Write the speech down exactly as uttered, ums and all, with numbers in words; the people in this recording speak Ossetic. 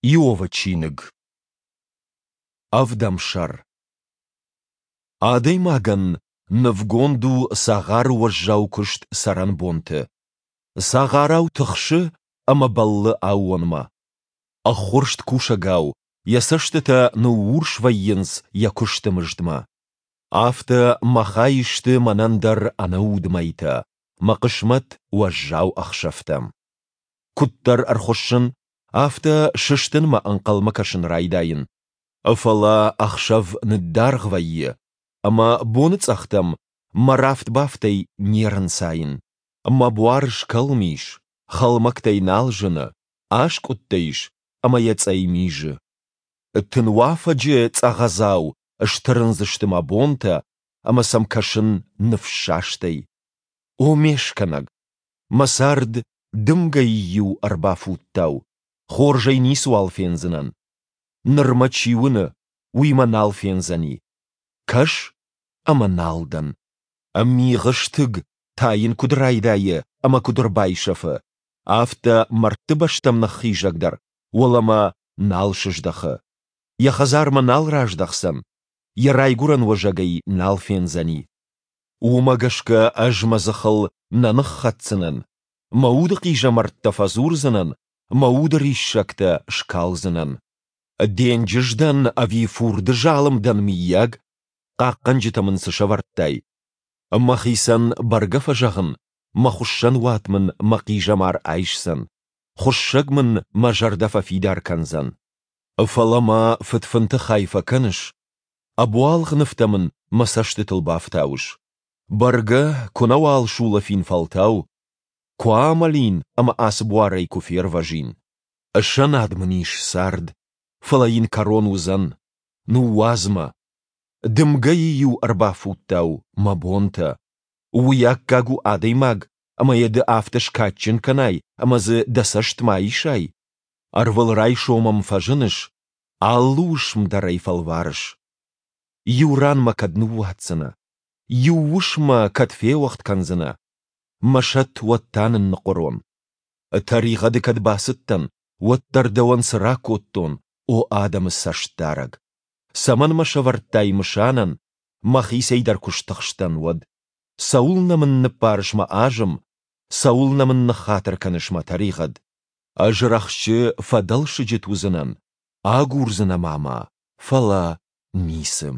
Иовы чиныг. Ӕвдӕм сӕр. Адӕймагӕн нывгонд у цагъары уӕззау куыст цӕрӕнбонты. Цагъарау тыхсы ӕмӕ бӕллы аууонмӕ. Ӕххуырст кусӕгау йӕ цӕстытӕ ныуурс вӕййынц йӕ куысты мыздмӕ. Афтӕ мӕ хай сты мӕнӕн дӕр ӕнӕуд мӕйтӕ, мӕ хъысмӕт уӕззау ӕхсӕвтӕ. Куыддӕр ӕрхуыссын, афтӕ сыстынмӕ ӕнхъӕлмӕ кӕсын райдайын. Фӕлӕ ӕхсӕв ныддаргъ вӕййы, ӕмӕ боныцъӕхтӕм мӕ рафт-бафтӕй не рынцайын. Мӕ буар скӕлм ис, хӕлмӕгтӕй нал зыны, аскъуыдтӕ ис ӕмӕ йӕ цъӕй мизы. Тынуафӕджы цъӕгъӕдзау стырындзысты мӕ бонтӕ, ӕмӕ сӕм кӕсын ныфссастӕй. О ме скӕнӕг! Мӕ цард дымгӕйы иу ӕрбафуттау, хорзӕй ницыуал фендзынӕн. Ныр мӕ чи уыны, уый мӕ нал фендзӕни. Кӕс, ӕмӕ нал дӕн. Мигъы стыг тайын куыд райдайы ӕмӕ куыд ӕрбайсӕфы, афтӕ мӕрдты бӕстӕм ныххизӕг дӕр уӕлӕмӕ нал сыздӕхы. Йӕ хӕдзармӕ нал раздӕхдзӕн, йӕ райгуырӕн уӕзӕг ӕй нал фендзӕни. Уымӕ гӕсгӕ ӕз мӕ дзыхыл нӕ ныххӕцдзынӕн, мӕ уды хъизӕмӕрттӕ фӕдзурдзынӕн, мӕ уды риссӕгтӕ скалдзынӕн. Денджыз дӕн ӕви фурды залым дӕн, мыййаг? Хъахъхъӕнджытӕ мын цы сӕвӕрдтай? Мӕхицӕн бӕргӕ фӕзӕгъын, мӕ хуыссӕнуат мын мӕ хъизӕмар айсдзӕн, хуыссӕг мын мӕ зӕрдӕ фӕфидар кӕндзӕн. Фӕлӕ мӕ фыдфынты хай фӕкӕныс, ӕбуалгъ нывтӕ мын мӕ цӕстытыл бафтауыс. Бӕргӕ, куы нӕуал сулӕфин фӕлтау, куы амӕлин ӕмӕ ацы буарӕй куы фервӕзин. Сӕнад мын ис цард, фӕлӕ йын кӕрон уыдзӕн. Ныууадз мӕ. Дымгӕйы иу ӕрбафуттау мӕ бонтӕ. Уый аккаг у адӕймаг, ӕмӕ йӕ ды афтӕ скадджын кӕнай ӕмӕ дзы дӕ цӕст ма исай? Ӕрвылрайсом ӕм фӕзыныс, алы уысм дӕр ӕй фӕлварыс. Иу ран мӕ кӕд ныууадздзынӕ? Иу уысм мӕ кӕд феуӕгъд кӕндзынӕ? Мӕ сӕт уӕд та нынныхъуырон. Тӕригъӕды кӕд бацыдтӕн, уӕддӕр дӕуӕн цы ракодтон, о адӕмы цӕстдарӕг? Цӕмӕн мӕ сӕвӕрдтай мысанӕн, мӕхицӕй дӕр куы стыхстӕн, уӕд? Цӕуылнӕ мын ныббарыс мӕ азым, цӕуылнӕ мын ныххатыр кӕныс мӕ тӕригъӕд? Ӕз рӕхджы фӕдӕлсыджыт уыдзынӕн, агурдзынӕ ма мӕ, фӕлӕ ницы.